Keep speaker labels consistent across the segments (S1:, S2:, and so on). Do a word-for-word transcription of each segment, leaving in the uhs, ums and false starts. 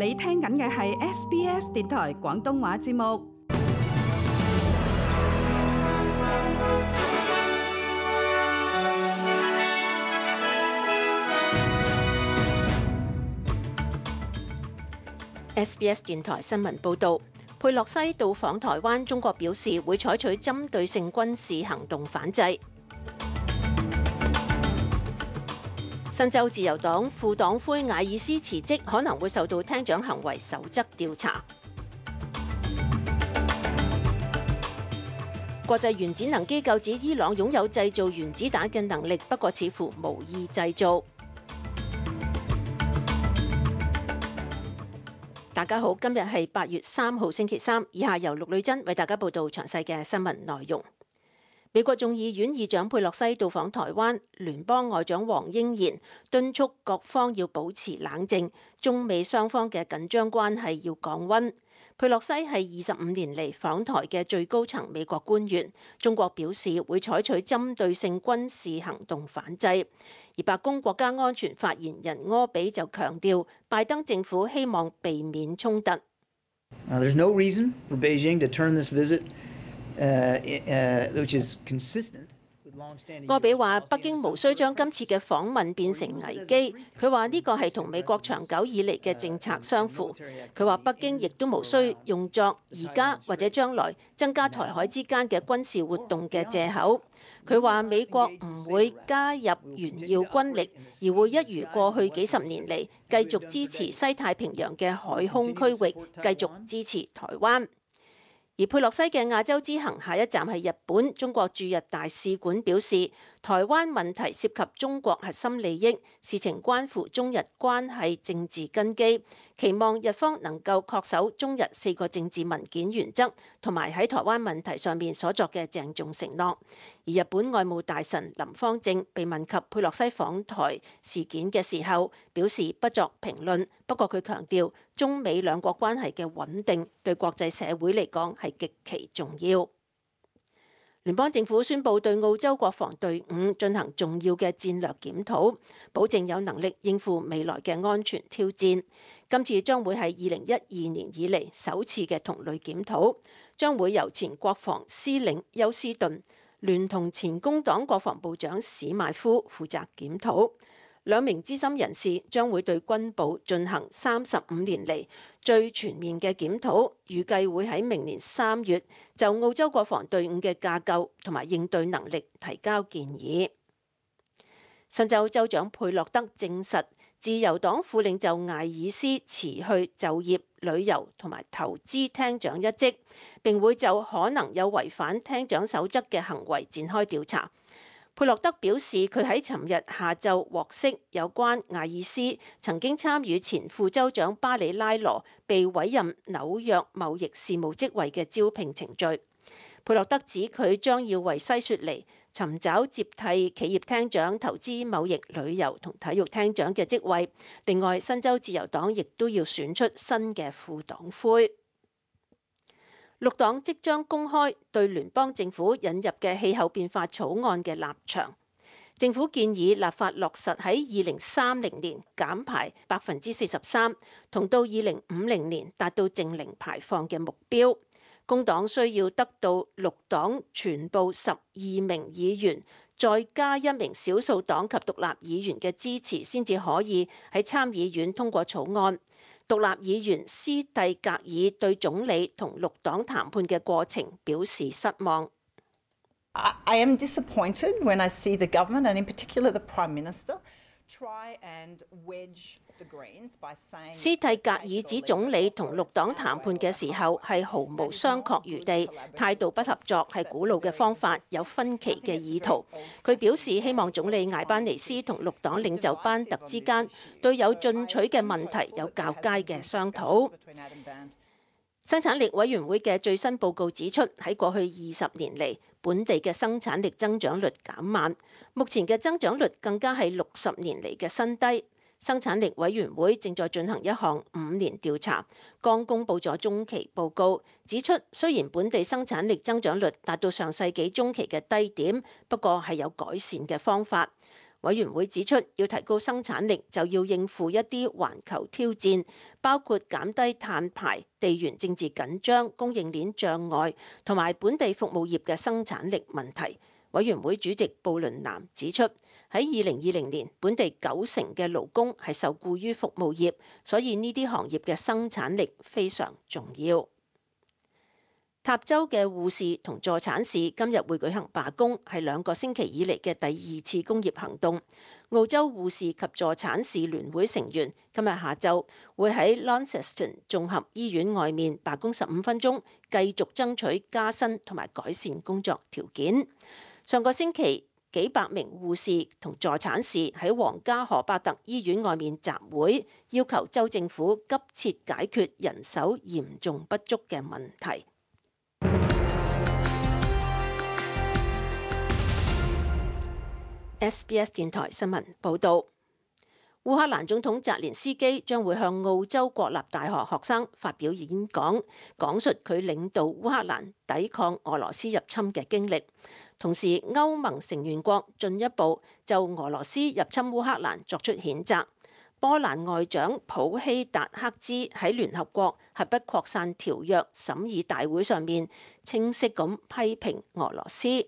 S1: 你聽緊嘅係 S B S 電台廣東話節目。
S2: S B S 電台新聞報導，佩洛西到訪台灣，中國表示會採取針對性軍事行動反制。新州自由黨副黨魁艾爾斯辭職，可能會受到廳長行為守則調查。國際原子能機構指伊朗擁有製造原子彈嘅能力，不過似乎無意製造。大家好，今日係八月三號星期三，以下由陸女珍為大家報道詳細嘅新聞內容。美國眾議院議長佩洛西到訪台灣，聯邦外長黃英賢敦促各方要保持冷靜，中美雙方嘅緊張關係要降溫。佩洛西係二十五年嚟訪台嘅最高層美國官員，中國表示會採取針對性軍事行動反制。而白宮國家安全發言人柯比就強調，拜登政府希望避免衝突。
S3: Uh, there's no reason for Beijing to turn this visit, uh, uh, which is consistent with long-standing.
S2: 柯比話：北京無需將今次嘅訪問變成危機。佢話呢個係同美國長久以嚟嘅政策相符。佢話北京亦都無需用作而家或者將來增加台海之間嘅軍事活動嘅藉口。佢話美國唔會加入炫耀軍力，而會一如過去幾十年嚟繼續支持西太平洋嘅海空區域，繼續支持台灣。而佩洛西嘅亞洲之行下一站係日本，中國駐日大使館表示，台灣問題涉及中國核心利益，事情關乎中日關係政治根基，期望日方能夠恪守中日四個政治文件原則，同埋喺台灣問題上面所作嘅鄭重承諾。而日本外務大臣林芳正被問及佩洛西訪台事件嘅時候，表示不作評論。不過佢強調，中美兩國關係嘅穩定對國際社會嚟講係極其重要。聯邦政府宣布對澳洲國防隊伍進行重要嘅戰略檢討，保證有能力應付未來嘅安全挑戰。今次將會係二零一二年以嚟首次嘅同類檢討，將會由前國防司令休斯頓聯同前工黨國防部長史邁夫負責檢討。兩名資深人士將會對軍部進行三十五年嚟最全面嘅檢討，預計會喺明年三月就澳洲國防隊伍嘅架構同埋應對能力提交建議。新州州長佩洛德證實，自由黨副領袖艾爾斯辭去就業、旅遊同埋投資廳長一職，並會就可能有違反廳長守則嘅行為展開調查。佩洛德表示，佢喺尋日下晝獲悉有關艾爾斯曾經參與前副州長巴里拉羅被委任紐約貿易事務職位嘅招聘程序。佩洛德指佢將要為西雪梨尋找接替企業廳長、投資貿易、旅遊同體育廳長嘅職位。另外，新州自由黨亦都要選出新嘅副黨魁。綠黨即將公開對聯邦政府引入嘅氣候變化草案嘅立場。政府建議立法落實喺二零三零年減排百分之四十三，同到二零五零年達到淨零排放嘅目標。工黨需要得到綠黨全部十二名議員，再加一名少數黨及獨立議員嘅支持，先至可以喺參議院通過草案。獨立議員斯蒂格爾對總理同綠黨談判嘅過程表示失望。
S4: I am disappointed when I see the government and in particular the Prime Minister try and wedge the Greens by saying
S2: 斯蒂格爾指總理同綠黨談判嘅時候係毫無商榷餘地，態度不合作係古老嘅方法，有分歧嘅意圖。佢表示希望總理艾班尼斯同綠黨領袖班特之間對有進取嘅問題有較佳嘅商討。生產力委員會嘅最新報告指出，喺過去二十年嚟，本地嘅生產力增長率減慢，目前嘅增長率更加係六十年嚟嘅新低。生產力委員會正在進行一項五年調查，剛公佈咗中期報告，指出雖然本地生產力增長率達到上世紀中期嘅低點，不過係有改善嘅方法。委員會指出，要提高生產力，就要應付一啲環球挑戰，包括減低碳排、地緣政治緊張、供應鏈障礙同埋本地服務業嘅生產力問題。委員會主席布倫南指出，喺二零二零年，本地九成嘅勞工係受僱於服務業，所以呢啲行業嘅生產力非常重要。塔州嘅護士同助產士今日會舉行罷工，係兩個星期以嚟嘅第二次工業行動。澳洲護士及助產士聯會成員今日下晝會喺 Launceston 綜合醫院外面罷工十五分鐘，繼續爭取加薪同埋改善工作條件。上個星期，幾百名護士同助產士喺皇家荷伯特醫院外面集會，要求州政府急切解決人手嚴重不足嘅問題。S B S 電台新聞報導，烏克蘭總統澤連斯基將會向澳洲國立大學學生發表演講，講述佢領導烏克蘭抵抗俄羅斯入侵嘅經歷。同時，歐盟成員國進一步就俄羅斯入侵烏克蘭作出譴責。波蘭外長普希達克茲喺聯合國核不擴散條約審議大會上面清晰咁批評俄羅斯。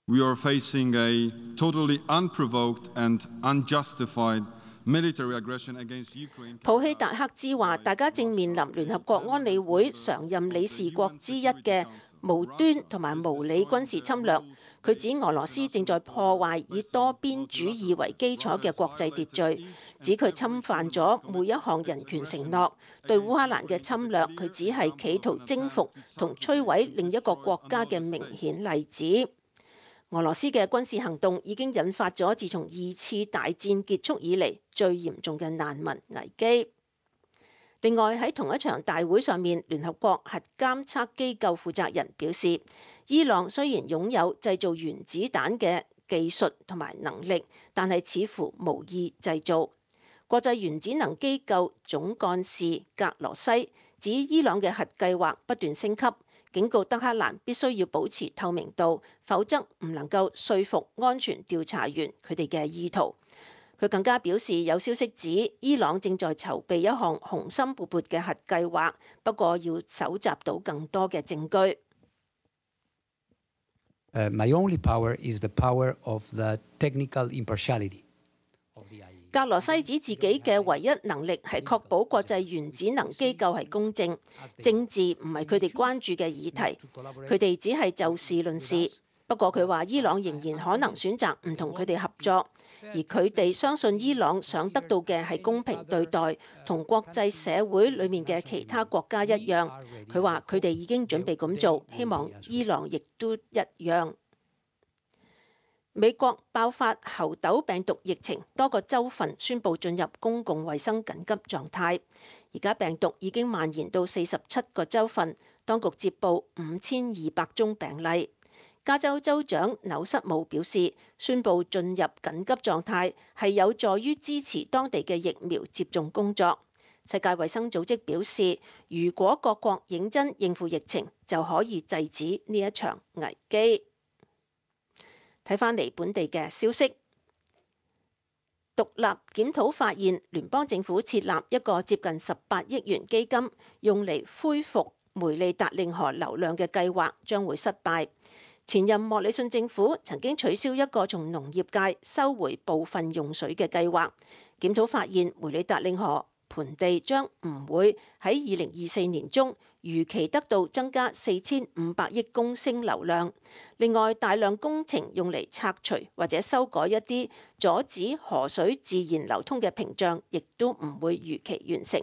S5: We are facing a totally unprovoked and unjustified military aggression against Ukraine.
S2: 普希達克茲話：大家正面臨聯合國安理會常任理事國之一嘅無端同埋無理軍事侵略。佢指俄羅斯正在破壞以多邊主義為基礎嘅國際秩序，指佢侵犯咗每一項人權承諾。對烏克蘭嘅侵略，佢只係企圖征服同摧毀另一個國家嘅明顯例子。俄羅斯嘅軍事行動已經引發咗自從二次大戰結束以嚟最嚴重嘅難民危機。另外喺同一場大會上面，聯合國核監測機構負責人表示，伊朗雖然擁有製造原子彈嘅技術同埋能力，但係似乎無意製造。國際原子能機構總幹事格羅西指伊朗嘅核計劃不斷升級，警告德黑蘭必須要保持透明度，否則唔能夠說服安全調查員佢哋嘅意圖。佢更加表示，有消息指伊朗正在籌備一項雄心勃勃嘅核計劃，不過要搜集到更多嘅證據。
S6: Uh, my only power is the power of the technical impartiality of the I A E A。
S2: 格羅西指自己嘅唯一能力係確保國際原子能機構係公正，政治唔係佢哋關注嘅議題，佢哋只係就事論事。不過佢話伊朗仍然可能選擇唔同佢哋合作，而佢哋相信伊朗想得到嘅係公平對待，同國際社會裡面嘅其他國家一樣。佢話佢哋已經準備咁做，希望伊朗亦都一樣。美國爆發猴痘病毒疫情，多個州份宣布進入公共衛生緊急狀態。而家病毒已經蔓延到四十七個州份，當局接報五千二百宗病例。加州州長紐瑟姆表示，宣布進入緊急狀態係有助於支持當地嘅疫苗接種工作。世界衛生組織表示，如果各國認真應付疫情，就可以制止呢一場危機。睇返嚟本地嘅消息，獨立檢討發現，聯邦政府設立一個接近十八億元基金，用嚟恢復梅利達令河流量嘅計劃將會失敗。前任莫里遜政府曾經取消一個從農業界收回部分用水嘅計劃。檢討發現，梅里達令河盆地將唔會喺二零二四年中如期得到增加四千五百億公升流量。另外，大量工程用嚟拆除或者修改一啲阻止河水自然流通嘅屏障，亦都唔會如期完成。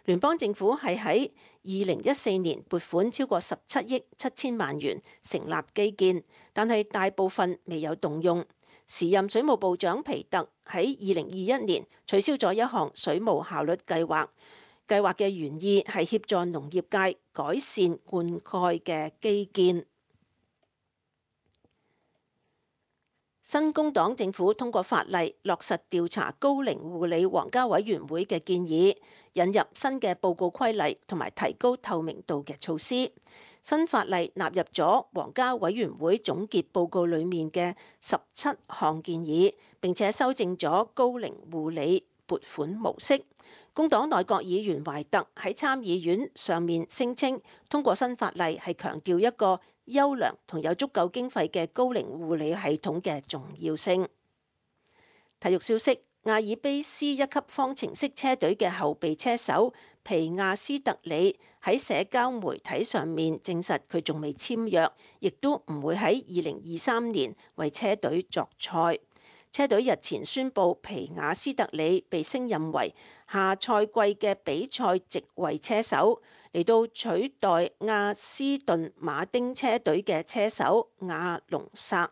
S2: 聯邦政府係喺二零一四年撥款超過十七億七千萬元成立基建，但係大部分未有動用。時任水務部長皮特喺二零二一年取消咗一項水務效率計劃，計劃嘅原意係協助農業界改善灌溉嘅基建。新工黨政府通過法例落實調查高齡護理皇家委員會嘅建議，引入新嘅報告規例同埋提高透明度嘅措施。新法例納入咗皇家委員會總結報告裡面嘅十七項建議，並且修正咗高齡護理撥款模式。工黨內閣議員懷特喺參議院上面聲稱，通過新法例係強調一個優良同有足夠經費嘅高齡護理系統嘅重要性。體育消息：阿爾卑斯一級方程式車隊嘅後備車手皮亞斯特里喺社交媒體上面證實佢仲未簽約，亦都唔會喺二零二三年為車隊作賽。車隊日前宣布皮亞斯特里被升任為下賽季嘅比賽席位車手，嚟到取代亞斯頓馬丁車隊嘅車手亞隆薩。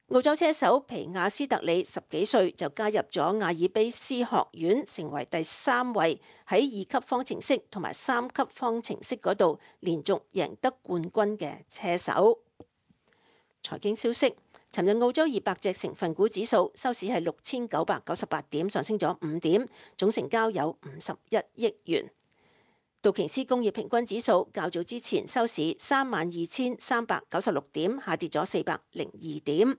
S2: 澳洲車手皮亞斯特里十幾歲就加入咗阿爾卑斯學院，成為第三位喺二級方程式同埋三級方程式嗰度連續贏得冠軍嘅車手。財經消息：尋日澳洲二百隻成分股指數收市係六千九百九十八點，上升咗五點，總成交有五十一億元。道瓊斯工業平均指數較早之前收市三萬二千三百九十六點，下跌咗四百零二點。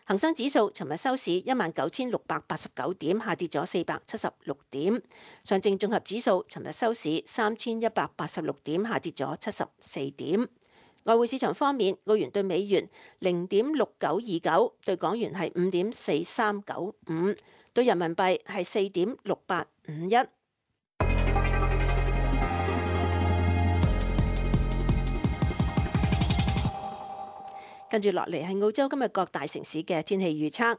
S2: 恒生指數尋日收市一萬九千六百八十九點，下跌咗四百七十六點。上證綜合指數尋日收市三千一百八十六點，下跌咗七十四點。外匯市場方面，澳元對美元零點六九二九，對港元係五點四三九五，對人民幣係四點六八五一。跟住落嚟係澳洲今日各大城市嘅天氣預測：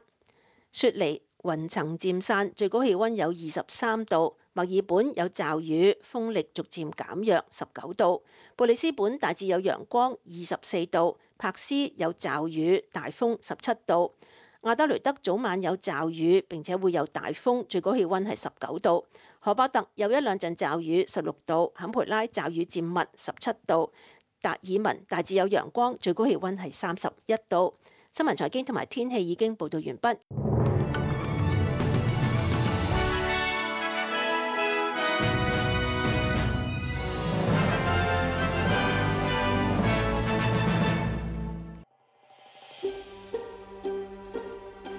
S2: 雪梨雲層漸散，最高氣温有二十三度；墨爾本有驟雨，風力逐漸減弱，十九度；布里斯本大致有陽光，二十四度；柏斯有驟雨，大風，十七度；亞德雷德早晚有驟雨，並且會有大風，最高氣温係十九度；荷伯特有一兩陣驟雨，十六度；坎培拉驟雨漸密，十七度。達爾文大致有陽光，最高氣温係三十一度。新聞財經同埋天氣已經報導完畢。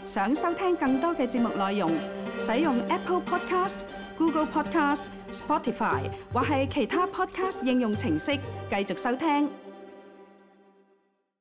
S1: 想收聽更多嘅節目內容，使用 Apple Podcast、Google Podcast、Spotify 或係其他 Podcast 應用程式繼續收聽。